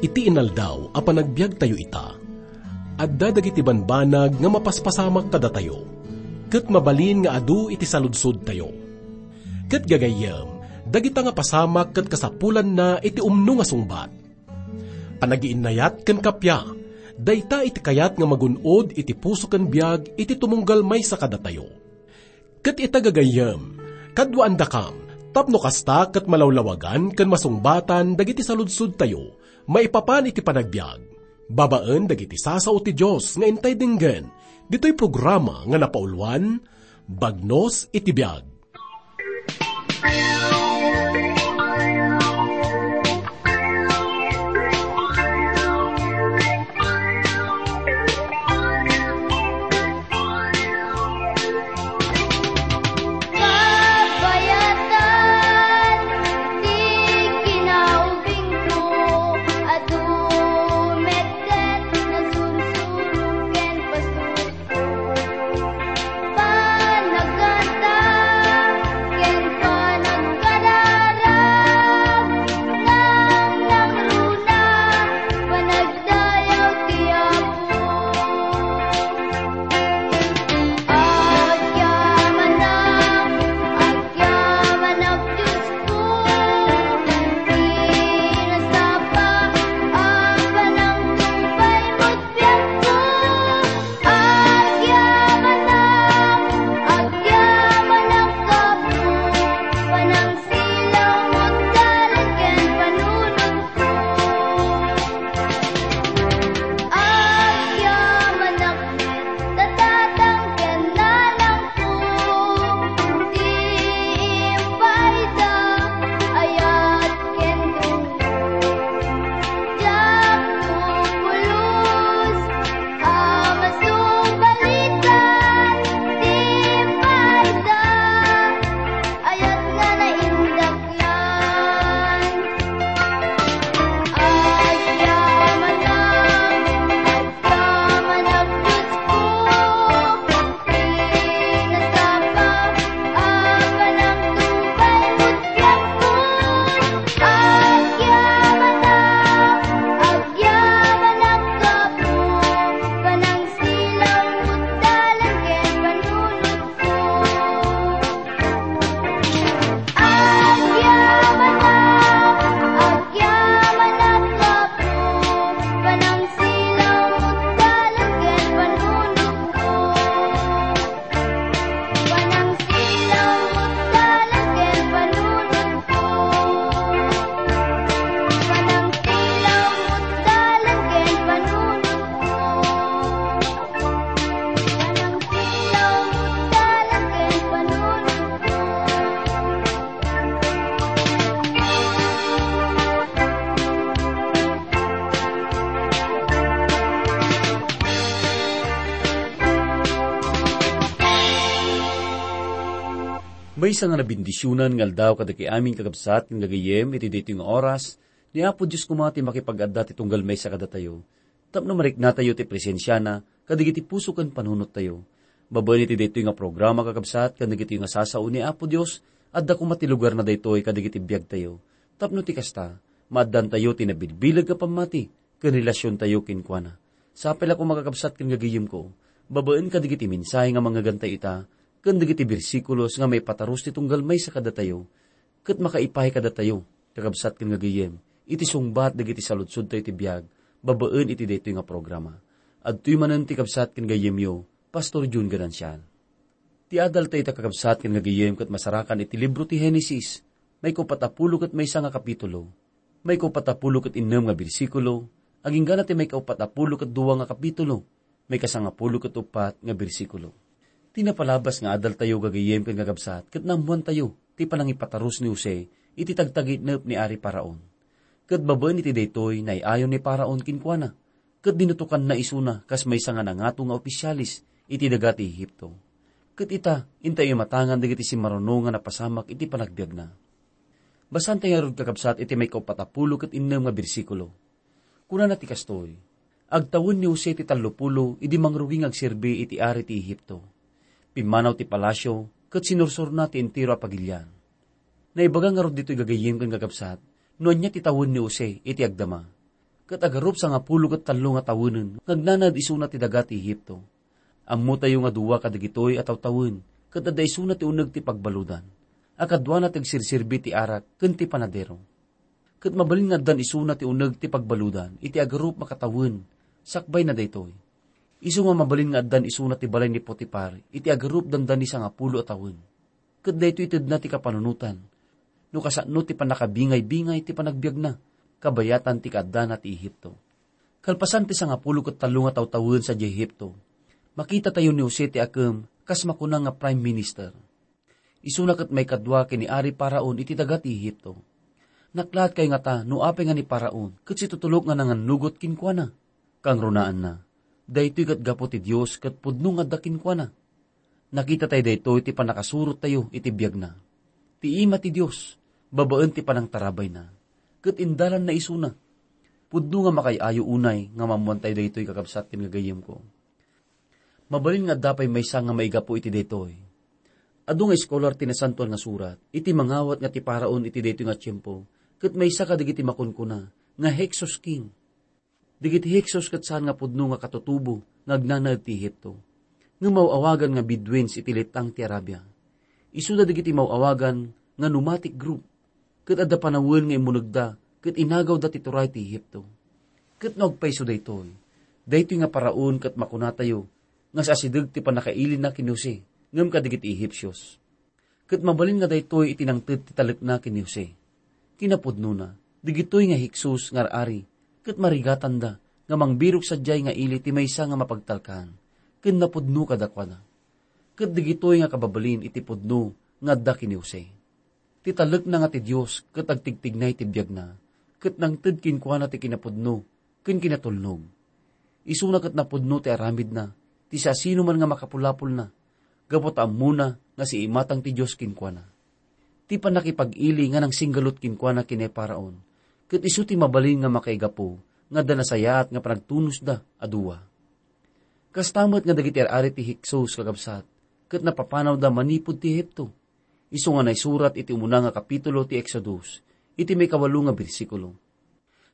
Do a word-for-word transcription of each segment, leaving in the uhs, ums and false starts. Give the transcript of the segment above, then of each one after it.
Ti inaldaw a panagbiagtayo ita, adda dagiti banbanag nga mapaspasamak kadatayo, ket mabalin nga adu iti saludsodtayo. Ket gagayyem, dagita nga pasamak ket kasapulanna iti umno nga sungbat. Panagiinnayat ken kappia, dayta iti kayat nga magun-od iti puso ken biag iti tumunggal maysa kadatayo. Ket ita gagayyem, kaduaandakam, tapno kasta ket malawlawagan ken masungbatan dagiti saludsodtayo maipapan iti panagbiag, babaen dagiti sasao ti Dios nga intay denggen, ditoy programa nga napauluan, Bagnos iti Biag. Kabayatan ti kinaubingko a tumetdet, nasursuro ken pasurko. Panagkanta ken panagkararag, nangnangruna, panag- Dayaw ti Apo. Agyamanak, agyamanak, Diosko, ti nasapa a panangtungpal met biagko. Agyamanak, agyamanak, Apo, panangsilaw met dalan ken panunot. Agyamanak met, tatang ken nanangko, ti impaayda, ayat ken tungko. Diak to pulos a masubalitan, ti impaayda, ayat nga naindaklan. Agyamanak, agyamanak, Diosko, ti nasapa a panangtungpal met biagko. Agyamanak, agyamanak, Apo, panangsilaw met dalan ken panunotko. Agyamanak, agyamanak, Apo, panangsilaw met dalan ken panunotko. Panangsilaw met dalan ken panunotko. Panangsilaw met dalan ken panunotko. Panangsilaw met dalan ken panunotko. Maysa nga nabendisionan nga aldaw kadagiti amin, kakabsat ken gagayyem, iti daytoy nga oras. Ni Apo Dios koma ti makipag-adda ti tunggal maysa kadatayo, tapno mariknatayo ti presensiana kadagiti puso ken panunottayo. Babaen iti daytoy nga programa, kakabsat, ken dagitoy nga sasao ni Apo Dios, adda koma ti lugarna daytoy kadagiti biagtayo. Tapno ti kasta, maaddantayo ti nabilbileg nga pammati ken relasiontayo kenkuana. Sapay la koma, kakabsat ken gagayyemko, babaen kadagiti mensahe nga mangngegantay ita, ken dagiti bersikulos nga maipatarus ti tunggal maysa kadatayo, ket makaipay kadatayo, kakabsat ken gagayyem, iti sungbat dagiti saludsodtayo iti biag, babaen iti daytoy nga programa. Adtoy manen ti kabsat ken gayyemyo, Pastor Jun Ganancial. Ti adaltayo ita, kakabsat ken gagayyem, ket masarakan iti libro ti Genesis, maikaupat a pulo ket maysa nga kapitulo, maikaupat a pulo ket innem nga bersikulo, agingga ti maikaupat a pulo ket dua nga kapitulo, maikasangapulo ket uppat nga bersikulo. Ti napalabas nga adaltayo, gagayyem ken kakabsat, ket naammoantayo ti panangipatarus ni Jose iti tagtagitnep ni Ari Faraon. Ket babaen iti daytoy, nay-ayo ni Faraon kenkuana, ket dinutokanna isuna kas maysa nga nangato nga opisialis iti daga ti Egipto. Ket ita, intayo imatangan dagiti simmaruno nga napasamak iti panagbiagna. Basaentayo ngarud, kakabsat, iti maikaupat a pulo ket innem nga bersikulo. Kunana ti kastoy, "Agtawen ni Jose ti tallopulo idi mangrugi nga agserbi iti ari ti Egipto. Pimmanaw ti palasio ket sinursorna ti entero a pagilian." Naibaga ngarud ditoy, gagayyem ken kakabsat, no ania ti tawen ni Jose iti agdama. ket agarup sangapulo ket tallo nga tawenen nga agnanaed isuna ti daga ti Egipto. Ammotayo nga dua kadagitoy a tawtawen, ket adda isuna ti uneg ti pagbaludan, a kaduana ti agsirserbi ti arak ken ti panadero. Ket mabalin nga addan isuna ti uneg ti pagbaludan iti agarup makatawen. Sakbayna daytoy, isu nga mabalin nga addan isuna ti balay ni Potipar iti agarup dandani sangapulo a tawen. Ket daytoy itedna ti kapanunotan, no kasano ti pannakabingay-bingay ti panagbiagna, kabayatan ti kaaddana ti Egipto. Kalpasan ti sangapulo ket tallo nga tawtawen sadiay Egipto, makitatayo ni Jose ti akem kas makuna nga prime minister. Isuna ket maikadua ken ni Ari Faraon iti daga ti Egipto. Naklaatkayo ngata no apay nga ni Faraon ket situtulok nga nangannugot kenkuana? Kangrunaanna, daytoy ket gapu ti Dios ket pudno nga adda kenkuana. Nakitatayo daytoy ti pannakasurottayo iti biagna. Ti ima ti Dios, babaen ti panangtarabayna, ket indalanna isuna. Pudno nga makaay-ayo unay nga maammoantayo daytoy, kakabsat ken gagayyemko. Mabalin nga adda pay maysa nga maigapu iti daytoy. Adu nga eskolar ti Nasantoan nga Surat iti mangawat nga ti Faraon iti daytoy nga tiempo ket maysa kadagiti makunkuna nga Hyksos King. Dagiti Hyksos ket saan nga pudno nga katutubo nga agnanaed ti Egipto, nga maw-awagan nga Bedouins iti letang ti Arabia. Isuda dagiti maw-awagan nga nomadic group, ket adda panawen nga immunegda ket inagawda ti turay ti Egipto. Ket no agpayso daytoy, daytoy nga Faraon ket makunatayo nga asideg ti pannakailina ken ni Jose ngem kadagiti Ehipsios. Ket mabalin nga daytoy iti nangted ti talekna ken ni Jose. Kinapudnona, dagitoy nga Hyksos nga ar-ari ket marigatanda nga mangbirok sadiay nga ili ti maysa nga mapagtalkan ken napudno kadakuada. Ket dagitoy nga kababalin iti pudno nga adda ken ni Jose. Ti talekna nga ti Dios ket agtigtignay ti biagna, ket nangted kenkuana ti kinapudno ken kinatulnog. Isuna ket napudno ti aramidna, ti siasinoman nga makapulapolna, gapu ta ammona nga siimatang ti Dios kenkuana. Ti pannakipag-ili nga nangsinggalut kenkuana ken ni Faraon, ket isu ti mabalin nga makaigapu nga adda nasayaat nga panagtunosda a dua. Kasta met nga dagiti ar-ari ti Hyksos, kakabsat, ket napapanawda manipud ti Egipto. Isu nga naisurat iti umuna nga kapitulo ti Exodus, iti maikawalo nga bersikulo.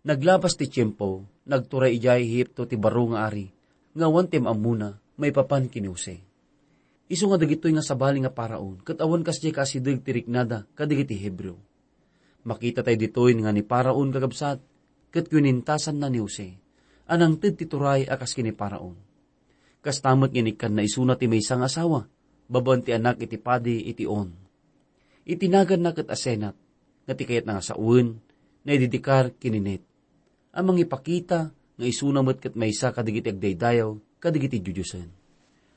Naglabas ti tiempo, nagturay idiay Egipto ti baro nga ari, nga awan ti am-ammona maipapan ken ni Jose. Isu nga dagitoy nga sabali nga Faraon ket awan kasdiay kaasideg ti riknada kadagiti Hebreo. Makitatayo ditoy nga ni Faraon, kakabsat, ket kinintasanna ni Jose a nangted ti turay a kas ken ni Faraon. Kasta met nga inikkanna isuna ti maysa nga asawa, babaen ti anak iti padi iti On. Iti naganna ket Asenat, nga ti kayatna nga sawen, naididikar ken ni Net, a mangipakita nga isuna met ket maysa kadagiti agdaydayaw kadagiti diodiosen.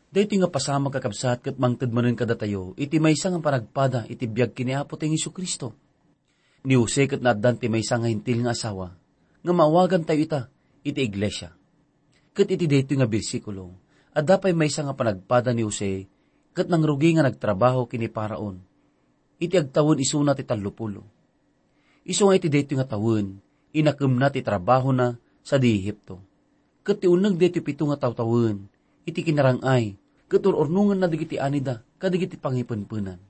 Daytoy nga pasamak, kakabsat, ket mangted manen kadatayo iti maysa nga panagpada iti biag ken ni Apotayo Jesu-Cristo. Ni Jose ket naaddan ti maysa nga Hentil nga asawa, nga maawagantayo ita iti iglesia. Ket iti daytoy nga bersikulo, adda pay maysa nga panagpada ni Jose ket nangrugi nga nagtrabaho ken ni Faraon iti agtawen isuna ti tallopulo. Isu nga iti daytoy nga tawen, inakemna ti trabahona sadi Egipto. Ket ti uneg daytoy pito nga tawtawen, iti kinarang-ay, ket ur-urnongenna dagiti anida kadagiti pangipenpenan.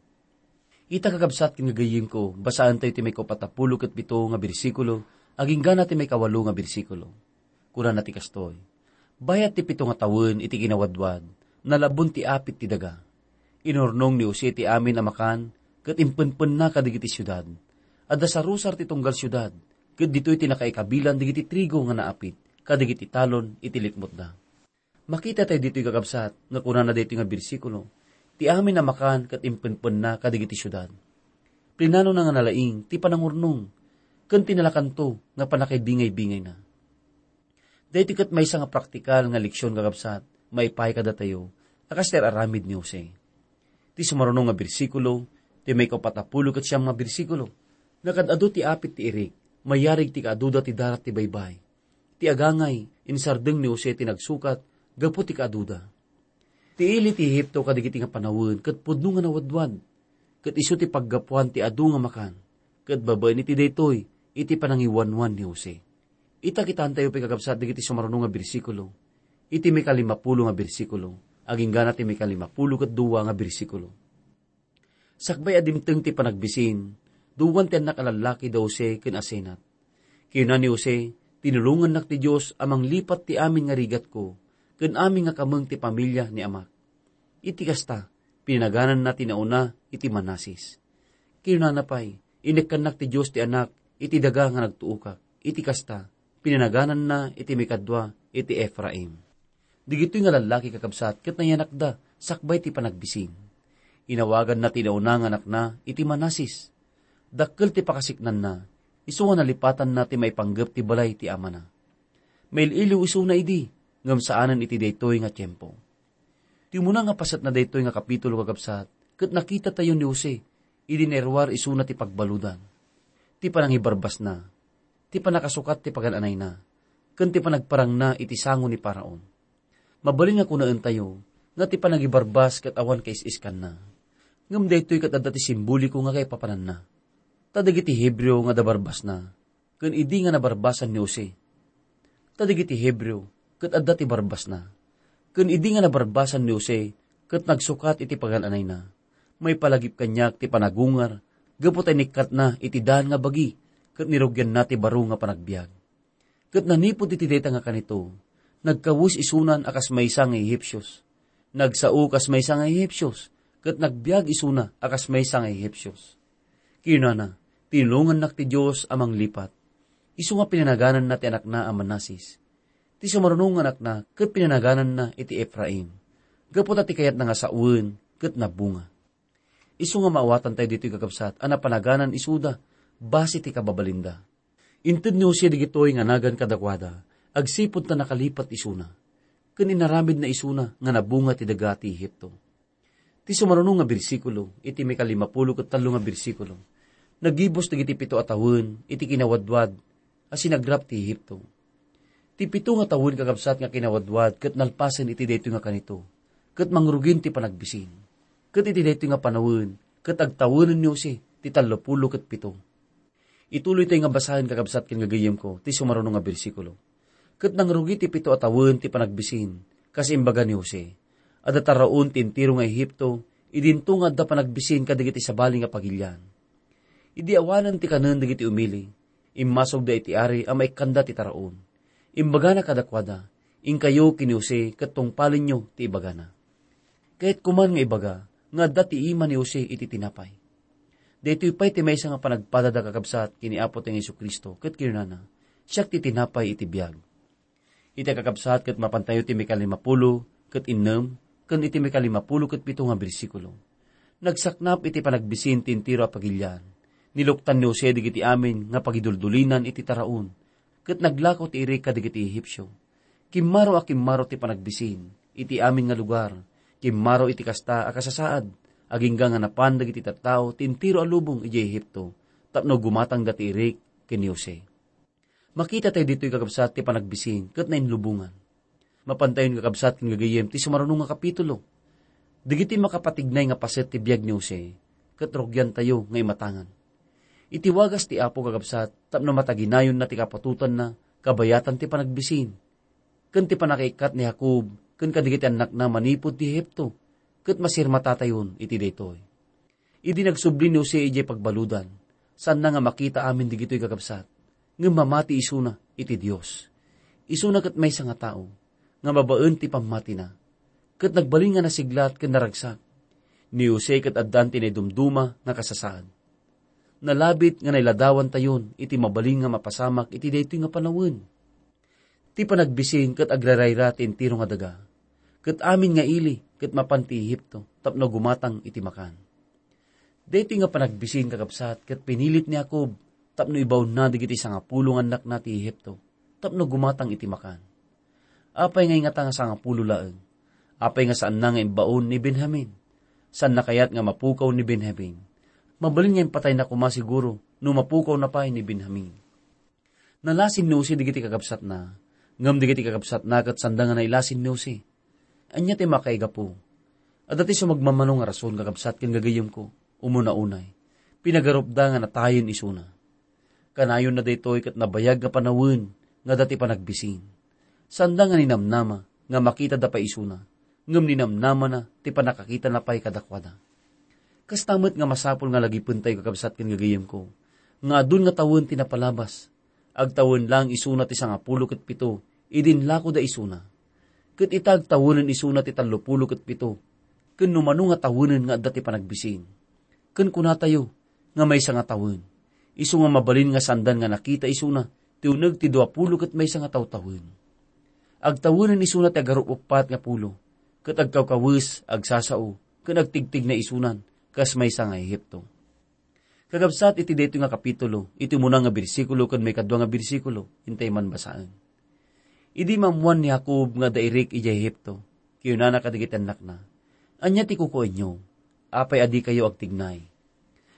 Ita, kakabsat ken gagayyemko, basaentayo ti maikaupat a pulo ket pito nga bersikulo, agingga na ti maikawalo nga bersikulo. Kunana ti kastoy, "Bayat ti pito nga tawen iti kinawadwad, nalabon ti apit ti daga. Inurnong ni Jose ti amin a makan ket impenpenna kadagiti siudad. Adda sarusar ti tunggal siudad, ket ditoy ti nakaikabilan dagiti trigo nga naapit kadagiti talon iti likmutda." Makitatayo ditoy, kakabsat, nga kunana daytoy nga bersikulo, "Ti amin a makan ket impenpenna kadagiti siudad." Plinanona nga nalaing ti panangurnong ken ti nalakanto nga pannakaibingay-bingayna. Daytoy ket maysa nga praktikal nga leksion, kakabsat, maipaay kadatayo a kas ti ar-aramid ni Jose. Ti sumaruno nga bersikulo, ti maikaupat a pulo ket siam nga bersikulo, nakaad-adu ti apit ti irik, mayarig ti kaaduda ti darat ti baybay. Ti agangay, insardeng ni Jose ti nagsukat gapu ti kaaduda. Ti ili ti Egipto kadagiti nga panawen ket pudno nga nawadwad, ket isu ti paggapuan ti adu nga makan, ket babaen iti daytoy iti panangiwanwan ni Jose. Ita, kitaentayo pay, kakabsat, dagiti sumaruno nga bersikulo, iti maikalimapulo nga bersikulo, aginggana ti maikalimapulo ket dua nga bersikulo. Sakbay a dimteng ti panagbisin, duwan ti annak a lallaki da Jose ken Asenat. Kinuna ni Jose, Tinulongannak ti Dios a manglipat ti amin nga rigatko ken amin nga kameng ti pamilia ni amak. Iti kasta, pinanagananna ti nauna iti Manases. Kinunana pay, "Inekkannak ti Dios ti Anak iti daga nga nagtuokak." Iti kasta, pinanagananna iti maikadua iti Efraim. Digitoy nga lallaki, kakabsat, ket nayanakda sakbay ti panagbisin. Inawaganna ti nauna nga anakna iti Manases. Dakkel ti pakasiknanna, isu nga nalipatanna ti maipanggep ti balay ti amana. Mail-iliw isuna idi, ngem saanen iti daytoy nga tiempo. Ti umuna nga paset na daytoy nga kapitulo, kakabsat, ket nakitatayo ni Jose idi nairuar isuna ti pagbaludan, ti panangibarbasna, ti panakasukat ti pagan-anayna, ken ti panagparangna iti sango ni Faraon. Mabalin nga kunaentayo nga ti panagibarbas ket awan kais-iskanna. Ngem daytoy ket adda ti simboliko nga kaipapananna. Ta dagiti Hebreo nga adda barbasna, ken idi nga nabarbasan ni Jose. Ta dagiti Hebreo ket adda ti barbasna, ken idi nga nabarbasan ni Jose ket nagsukat iti pagan-anayna, maipalagip kaniak ti panagungar gapu ta inikkatna iti daan nga bagi ket nirugianna ti baro nga panagbiag. Ket nanipud iti dayta nga kanito, nagkawes isunan a kas maysa nga Ehipsios. Nagsao kas maysa nga Ehipsios, ket nagbiag isuna a kas maysa nga Ehipsios. Kinunana, "Tinulongannak ti Dios a manglipat." Isu nga pinanagananna ti anakna a Manases. Ti sumaruno nga anakna ket pinanagananna iti Efraim, gapu ta ti kayatna nga sawen ket nabunga. Isu nga maawatantayo ditoy, kakabsat, a napanaganan isuda base ti kababalinda. Inted ni Jose dagitoy nga nagan kadakuada agsipud ta nakalipat isuna, ken inaramidna isuna nga nabunga ti daga ti Ehipto. Ti sumaruno nga bersikulo, iti maikalimapulo ket tallo nga bersikulo, nagibus dagiti pito a tawen iti kinawadwad a sinagrap ti Ehipto. Ti pito nga tawen, kakabsat, nga kinawadwad ket nalpasen iti daytoy nga kanito, ket mangrugin ti panagbisin. Ket iti daytoy nga panawen, ket agtawenen ni Jose ti tallopulo ket pito. Ituloytayo nga basaen, kakabsat ken gagayyemko, ti sumaruno nga bersikulo. Ket nangrugi ti pito a tawen ti panagbisin, kas imbaga ni Jose. Adda taraon ti entero nga Ehipto, idinto nga adda panagbisin kadagiti sabali nga pagilian. Idi awanen ti kanen dagiti umili, immasogda iti ari a maikkanda ti taraon. Imbagana kadakuada, "Inkayo ken ni Jose ket tungpalenyo ti ibagana." Kayatko man nga ibaga nga adda ti ima ni Jose iti tinapay. Daytoy pay ti maysa nga panagpadada, kakabsat, ken ni Apotayo nga Jesu-Cristo, ket kinunana, "Siak ti tinapay iti biag." Iti, kakabsat, ket mapantayo ti maikalimapulo ket innem ken iti maikalimapulo ket pito nga bersikulo. Nagsaknap iti panagbisin ti entero a pagilian. Niluktan ni Jose dagiti amin nga pagiduldulinan iti taraon, ket naglakaw ti irik kadagiti Ehipsio. Kimmaro a kimmaro ti panagbisin iti amin nga lugar. Kimmaro iti kasta a kasasaad, agingga nga napan dagiti tattao ti entero a lubong idiay Ehipto tapno gumatangda ti irik ken ni Jose. Makitatayo ditoy, kakabsat, ti panagbisin ket nainlubongan. Mapantayon, kakabsat ken gagayyem, ti sumaruno nga kapitulo. Dagiti makapatignay nga paset ti biag ni Jose, ket rugiantayo nga imatangan. Iti wagas ti Apo, kakabsat, tapno mataginayonna ti kapatotanna, kabayatan ti panagbisin, ken ti pannakaikkat ni Jacob ken kadagiti annakna manipud ti Egipto, ket masirmatatayon iti daytoy. Idi nagsubli ni Jose idiay pagbaludan, saanna nga makita amin dagitoy, kakabsat, ngem mamati isuna iti Dios. Isuna ket maysa nga tao nga babaen ti pammatina, ket nagbalin nga nasiglat ken naragsak. Ni Jose ket addan ti naidumduma nga kasasaad. Nalabit nga nailadawantayon iti mabalin nga mapasamak iti daytoy nga panawen. Ti panagbisin ket agrarayra ti entero nga daga, ket amin nga ili ket mapan ti Egipto tapno gumatang iti makan. Daytoy nga panagbisin, kakabsat, ket pinilit ni Jacob tapno ibaonna dagiti sangapulo nga annakna ti Egipto tapno gumatang iti makan. Apay nga ingata nga sangapulo laeng? Apay nga saanna nga imbaon ni Benjamin? Saanna kayat nga mapukaw ni Benjamin? Mabalin nga impatayna koma siguro no mapukawna pay ni Benjamin. Nalasin ni Jose dagiti kakabsatna, ngem dagiti kakabsatna ket sanda nga nailasin ni Jose. Ania ti makaigapu? Adda ti sumagmamano nga rason, kakabsat ken gagayyemko. Umuna unay, pinagarupda nga natayen isuna. Kanayonna daytoy ket nabayag nga panawen nga adda ti panagbisin. Sanda nga ninamnama nga makitada pay isuna, ngem ninamnamana ti pannakakitana pay kadakuada. Kasta met nga masapul nga lagipentayo, kakabsat ken gagayyemko, nga adun nga tawen ti napalabas. Agtawen laeng isuna ti sangapulo ket pito idi inlakoda isuna. Ket ita agtawenen isuna ti tallopulo ket pito, ken no mano nga tawenen nga adda ti panagbisin. Ken kunatayo nga maysa nga tawen, isu nga mabalin nga saandan nga nakita isuna ti uneg ti duapulo ket maysa nga tawtawen. Agtawenen isuna ti agarup-uppat nga pulo, ket agkawkawes, agsasao, ken agtigtigna isunan kas maysa nga Ehipto. Kakabsat, iti daytoy nga kapitulo, iti umuna nga bersikulo ken maikadua nga bersikulo, intay man basaen. Idi maammoan ni Jacob nga adda Irik idiay Ehipto, kinunana kadagiti annakna, "Ania ti kukuenyo? Apay a dikayo agtignay?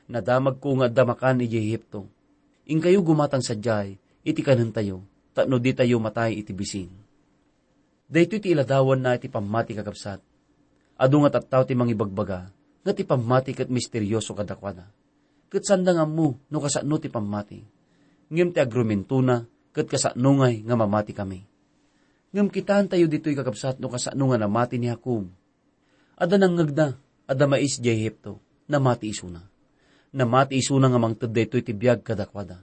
Nadamagko nga adda makan idiay Ehipto. Inkayo gumatang sadiay iti kanentayo, tapno ditayo matay iti bisin." Daytoy ti iladawanna iti pammati, kakabsat. Adu nga tattao ti mangibagbaga nga ti pammati ket misterioso kadakuada. Ket saanda nga ammo no kasano ti pammati. Ngem ti agrumentona ket kasano ngay nga mamatikami. Ngem kitaentayo ditoy, kakabsat, no kasano nga namati ni Jacob. Adda nangngegna, adda mais idiay Ehipto, namati isuna. Namati isuna nga mangted daytoy ti biag kadakuada.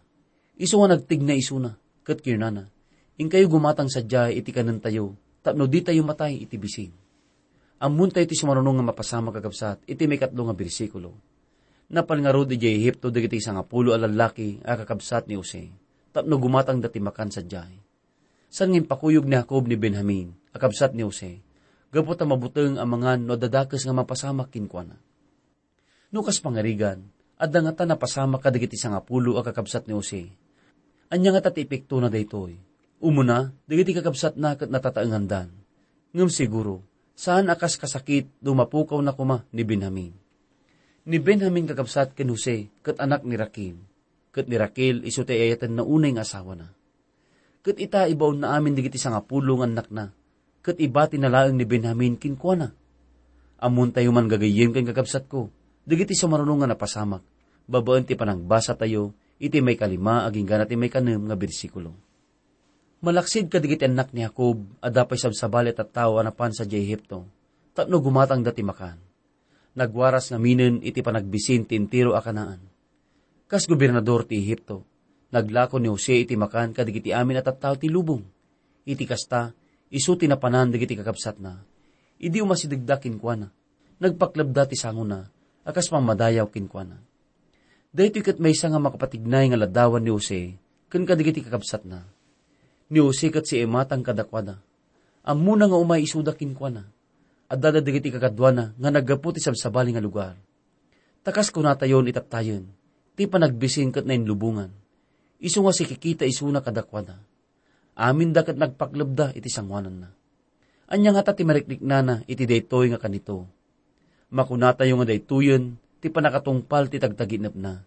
Isu nga nagtigna isuna, ket kinunana, "Inkayo gumatang sadiay iti kanentayo, tapno ditayo matay iti bisin." Ammontayo ti sumaruno nga mapasamak, kakabsat, iti maikatlo nga bersikulo. Napan ngarud idiay Ehipto dagiti sangapulo a lallaki a kakabsat ni Jose, tapno gumatangda ti makan sadiay. Saan nga impakuyog ni Jacob ni Benjamin a kabsat ni Jose, gapu ta mabuteng a mangan no adda dakes nga mapasamak kenkuana. No kas pangarigan, adda ngata napasamak kadagiti sangapulo a kakabsat ni Jose. Ania ngata ti epektona daytoy? Umuna, dagiti kakabsatna ket natataengandan. Ngem siguro, saan a kas kasakit no mapukawna koma ni Benjamin. Ni Benjamin, kakabsat, ken Jose ket anak ni Raquel, ket ni Raquel isu ti ay-ayatenna unay nga asawana. Ket ita, ibaonna amin dagiti sangapulo nga annakna, ket ibatina laeng ni Benjamin kenkuana. Ammontayo man, gagayyem ken kakabsatko, dagiti sumaruno nga napasamak, babaen ti panagbasatayo iti maikalima agingga ti maikanem nga bersikulo. Malaksid kadagiti annak ni Jacob, adda pay sabsabali a tattao a napan sadiay Ehipto, tapno gumatangda ti makan. Nagwaras ngaminen iti panagbisin ti entero a Canaan. Kas gobernador ti Ehipto, naglako ni Jose iti makan kadagiti amin a tattao ti lubong. Iti kasta, isu ti napanan dagiti kakabsatna. Idi umasidegda kenkuana, nagpaklebda ti sangona a kas pammadayaw kenkuana. Daytoy ket maysa nga makapatignay nga ladawan ni Jose ken kadagiti kakabsatna. Ni Jose ket si Emma ti kadakuada. Ammona nga umay isuda kenkuana. Adda dagiti kakaduana nga naggapu ti sabsabali nga lugar. Ta kas kunatayon itattayen, ti panagbisin ket nainlubongan. Isu nga sikikita isuna kadakuada. Aminda ket nagpaklebda iti sangoananna. Ania ngata ti mariknana iti daytoy nga kanito? Makunatayo nga daytoyen ti pannakatungpal ti tagtaginepna.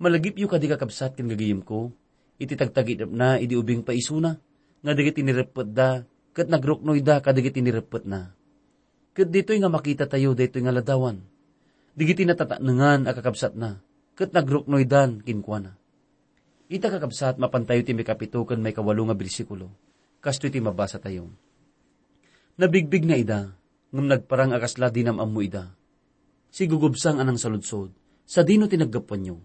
Malagipyo kadi, kakabsat ken gagayemko, iti tagtaginepna idi ubing pay isuna, nga dagiti nireppetda ket nagruknoyda kadagiti nireppetna. Ket ditoy nga makitatayo daytoy nga ladawan. Dagiti natatnengan a kakabsatna, ket nagruknoydan kenkuana. Ita, kakabsat, mapantayo ti maikapito ken maikawalo nga bersikulo. Kastoy ti mabasatayo. Nabigbigna ida, ngem nagparang a kasla di nam-ammo ida. Sigugubsang a nangsaludsod, "Sadino ti naggapuanyo?"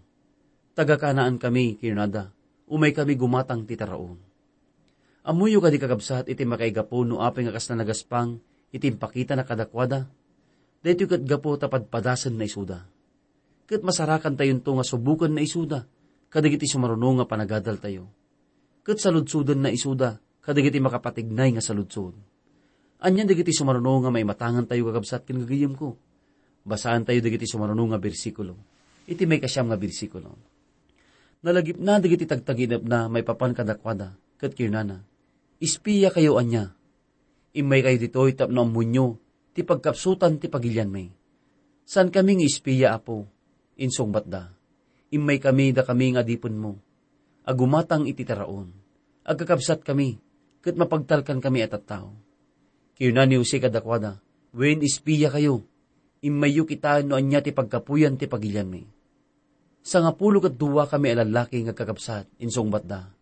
"Taga-Canaan kami," kinunada. "Umay kami gumatang ti taraon." Ammoyo kadi, kakabsat, iti makaigapu no apay nga kasla nagaspang iti impakitana kadakuada? Daytoy ket gapu ta padpadasenna isuda. Ket masarakantayonto nga subokenna isuda kadagiti sumaruno nga panagadaltayo. Ket saludsodenna isuda kadagiti makapatignay nga saludsod. Ania dagiti sumaruno nga maimatangantayo, kakabsat ken gagayemko? Basaantayo dagiti sumaruno nga bersikulo. Iti maikasiam nga bersikulo, nalagipna dagiti tagtaginepna maipapan kadakuada, ket kinunana, "Espia kayo ania? Immay kayo ditoy tapno ammonyo ti pagkapsutan ti pagilianmi." "Saan kami nga espia, Apo," insungbatda. "Immay kami dakami nga adipenmo, a gumatang iti taraon. Agkakabsat kami, ket mapagtalkan kami a tattao." Kinuna ni Jose kadakuada, "Wen, espia kayo. Immayyo kitaen no ania ti pagkapuyan ti pagilianmi." "Sangapulo ket dua kami a lallaki nga agkakabsat," insungbatda.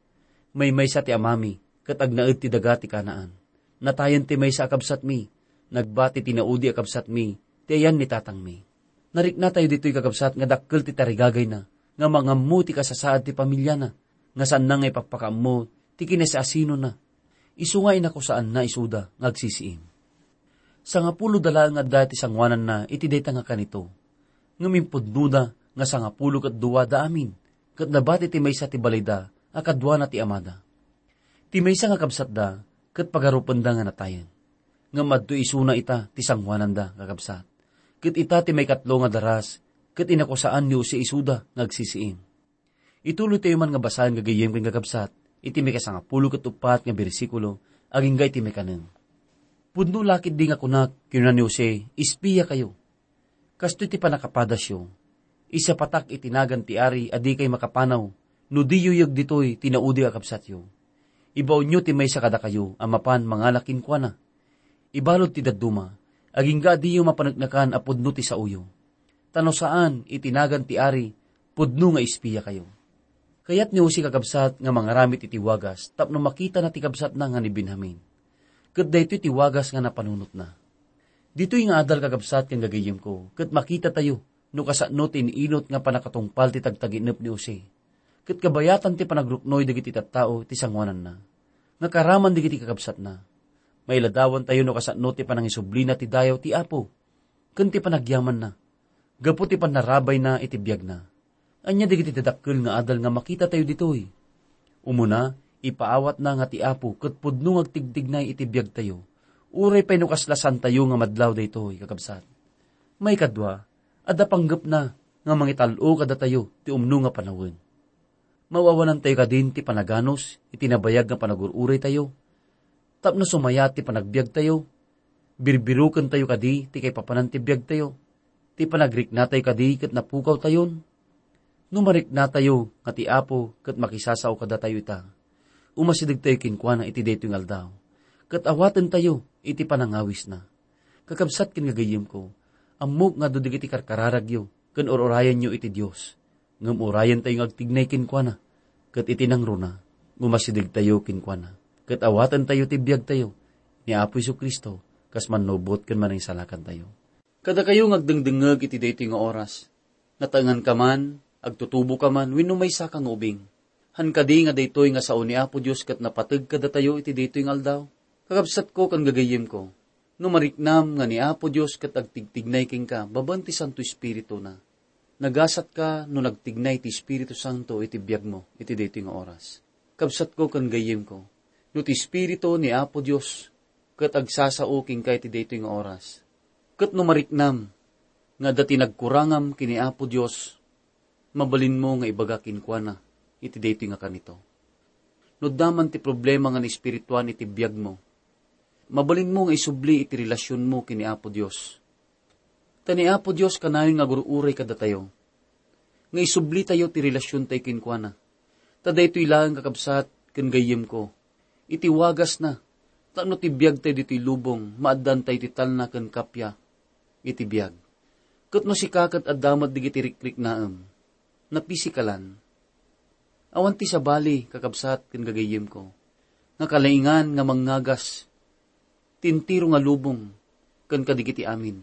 "Maymaysa ti amami, ket agnaed ti daga ti Canaan. Natayen ti maysa a kabsatmi. Nagbati ti naudi a kabsatmi ti ayan ni tatangmi." Nariknatayo ditoy, kakabsat, nga dakkel ti tarigagayna nga mangammo ti kasasaad ti pamiliana. nga saanna nga ipakpakaammo ti kinasiasinona, isu nga inakusaanna isuda nga agsisiim. Sangapulo da laeng adda ti sangoananna iti dayta nga kanito, ngem impudnoda nga sangapulo ket dua da amin, ket labat iti maysa ti balayda a kaduana ti amada. Ti maysa nga kabsatda ket pagarupenda nga natayen. Ngem adto isuna ita ti sangoananda, kakabsat. Ket ita ti maikatlo nga daras, ket inakusaan ni Jose isuda nga agsisiim. Ituloytayo man nga basaen, gagayyem ken kakabsat, iti maikasangapulo ket uppat nga bersikulo, agingga iti maikanem. "Pudno la ketdi nga kunak," kinuna ni Jose, "espia kayo." Kastoy ti pannakapadasyo. Isapatak iti nagan ti ari a dikay makapanaw no diyo yeg ditoy ti naudi a kabsatyo. Ibaonyo ti maysa kadakayo a mapan mangala kenkuana. Ibalud ti dadduma, agingga a diyo mapaneknekan a pudno ti saoyo. Ta no saan, iti nagan ti ari, pudno nga espia kayo. Kayat ni Jose, kakabsat, nga mangaramid iti wagas tapno makitana ti kabsatna nga ni Benjamin. Ket daytoy ti wagas nga napanunotna. Ditoy nga adal, kakabsat ken gagayyemko, ket makitatayo no kasano ti in-inut nga pannakatungpal ti tagtaginep ni Jose. Ket kabayatan ti panagruknoy dagiti tattao ti sangoananna, nga karaman dagiti kakabsatna. Mailadawantayo no kasano ti panangisublina ti dayaw ti Apo ken ti panagyamanna gapu ti pannarabayna iti biagna. Ania dagiti dadakkel nga adal nga makitatayo ditoy? Umuna, ipaawatna nga ti Apo ket pudno nga agtigtignay iti biagtayo, uray pay no kasla saantayo nga madlaw daytoy, kakabsat. Maikadua, adda panggepna nga mangital-o kadatayo ti umno nga panawen. Maawanantayo kadin ti panaganus iti nabayag nga panagur-uraytayo tapno sumayat ti panagbiagtayo? Birbirokentayo kadi ti kaipapanan ti biagtayo? Ti panagriknatayo kadi ket napukawtayon? No mariknatayo nga ti Apo ket makisasao kadatayo ita, umasidegtayo kenkuana iti daytoy nga aldaw, ket awatentayo iti panangawisna. Kakabsat ken gagayyemko, ammok nga adu dagiti karkararagyo ken ur-urayenyo iti Dios. Ngem urayentayo nga agtignay kenkuana, ket iti nangruna, umasidegtayo kenkuana, ket awatentayo ti biagtayo ni Apo Jesu-Cristo kas mannubot ken Manangisalakantayo. Kadakayo nga agdengdengngeg iti daytoy nga oras, nataenganka man, agtutuboka man, wenno maysaka nga ubing, han kadi nga daytoy nga sao ni Apo Dios ket napateg kadatayo iti daytoy nga aldaw? Kakabsatko ken gagayyemko, no mariknam nga ni Apo Dios ket agtigtignay kenka babaen ti Santo Espirituna, nagasatka no nagtignay ti Espiritu Santo iti biagmo iti daytoy nga oras. Kabsatko ken gayyemko, no ti Espiritu ni Apo Dios ket agsasao kenka iti daytoy nga oras, ket no mariknam nga adda ti nagkurangam ken ni Apo Dios, mabalinmo nga ibaga kenkuana iti daytoy nga kanito. No adda man ti problema nga naespirituan iti biagmo, mabalinmo nga isubli iti relasionmo ken ni Apo Dios. Ta ni Apo Dios kanayon nga agur-uray kadatayo, nga isublitayo ti relasiontayo kenkuana. Ta daytoy laeng, kakabsat ken gayyemko, iti wagasna, tapno ti biagtayo ditoy lubong, maaddaantayo ti talna ken kappia iti biag. Ket no sika ket adda met dagiti rikriknaem, napisikalan, awan ti sabali, kakabsat ken gagayyemko, nga kalaingan nga mangngagas ti entero nga lubong ken kadagiti amin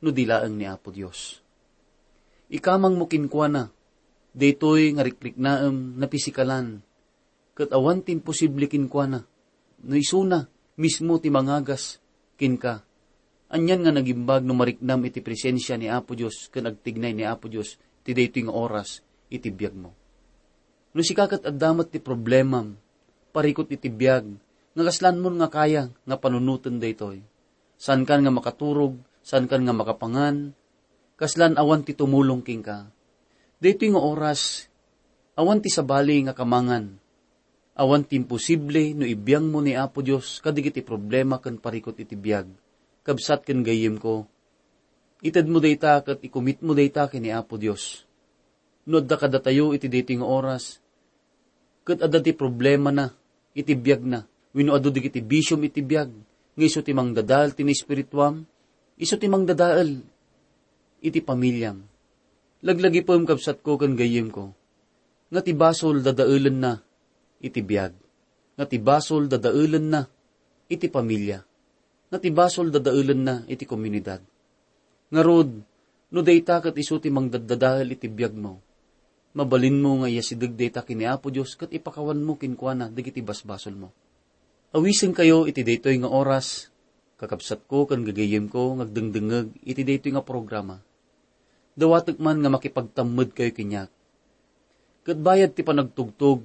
no di laeng ni Apo Dios. Ikamangmo kenkuana daytoy nga rikriknaem napisikalan, ket awan ti imposible kenkuana no isuna mismo ti mangagas kenka. Anian nga nagimbag no mariknam iti presensia ni Apo Dios ken agtignay ni Apo Dios ti daytoy nga oras iti biagmo. No sika ket adda met ti problemam, parikut iti biag, nga kaslanmon nga kaya nga panunoten daytoy. Saankan nga makaturog, saankan nga makapangan, kaslan awan ti tumulong kenka. Daytoy nga oras, awan ti sabali nga kamangan. Awan ti imposible no ibiangmo ni Apo Dios kadagiti problema ken parikut iti biag. Kabsat ken gayyemko, itedmo dayta ket ikumitmo dayta ken ni Apo Dios. No adda kadatayo iti daytoy nga oras, ket adda ti problemana iti biagna, wenno adu dagiti bisiom iti biag, nga isu ti mangdadael ti naespirituam, isu ti mangdadael iti pamiliam. Laglagipem, kabsatko ken gayyemko, nga ti basol dadaelenna iti biag, nga ti basol dadaelenna iti pamilia, nga ti basol dadaelenna iti komunidad. Ngarud, no dayta ket isu ti mangdaddadael iti biagmo, Mabalinmo nga iyasideg dayta ken ni Apo Dios ket ipakawanmo kenkuana dagiti basbasolmo. Awisenkayo iti daytoy nga oras, kakabsatko ken gagayyemko nga agdengdengngeg iti daytoy nga programa. Dawatek man nga makipagtammedkayo kaniak. Ket bayad ti panagtugtog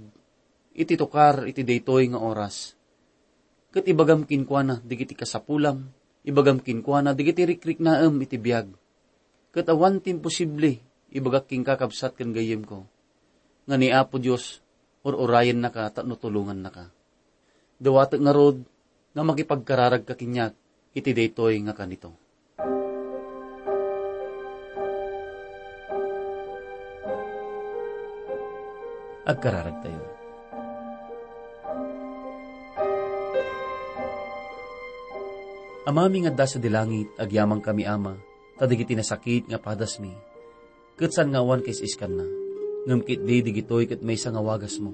iti tukar iti daytoy nga oras. Ket ibagam kenkuana dagiti kasapulam, ibagam kenkuana dagiti rikriknaem iti biag. Ket awan ti imposible, ibagak kenka, kabsat ken gayyemko, nga ni Apo Dios ur-urayennaka tapno tulongannaka. Dawatek ngarud nga makipagkararagka kaniak iti daytoy nga kanito. Agkararagtayo. Amami nga adda sadi langit, agyamankami, Ama, ta dagiti nasakit nga padasmi, ket saan nga awan kais-iskanna, ngem ketdi dagitoy ket maysa nga wagasmo,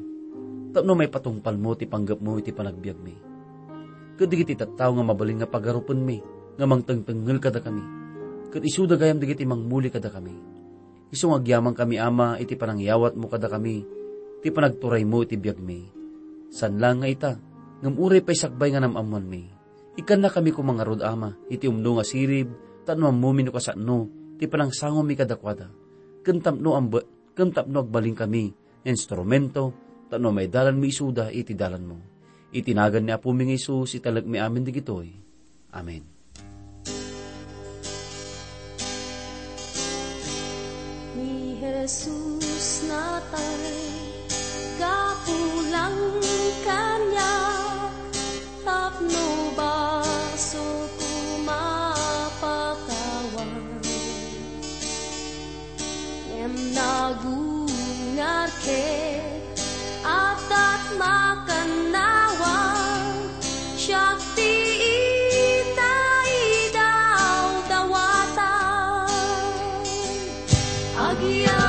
tapno maipatungpalmo ti panggepmo iti panagbiagmi. Ket dagiti tattao nga mabalin nga pagarupenmi nga mangtengtengngel kadakami, ket isuda gayam dagiti mangmuli kadakami. Isu nga agyamankami, Ama, iti panangyawatmo kadakami ti panagturaymo iti biagmi. Saan laeng nga ita, ngem uray pay sakbay nga nam-ammoanmi. Ikkannakami koma ngarud, Ama, iti umno nga sirib, tapno ammomi no kasano ti panangsangommi kadakuada, ken tapno ambe-, ken tapno agbalinkami nga instrumento, tapno maidalanmi isuda iti dalanmo. Iti nagan ni Apomi nga Jesus, italekmi amin dagitoy. Amen. Ni Jesus natay, gapu lang kaniak, tapno basol ko mapakawan. Ngem nagungar ket addat makannawan, siak ti itaydawdawatan. Agyamankami,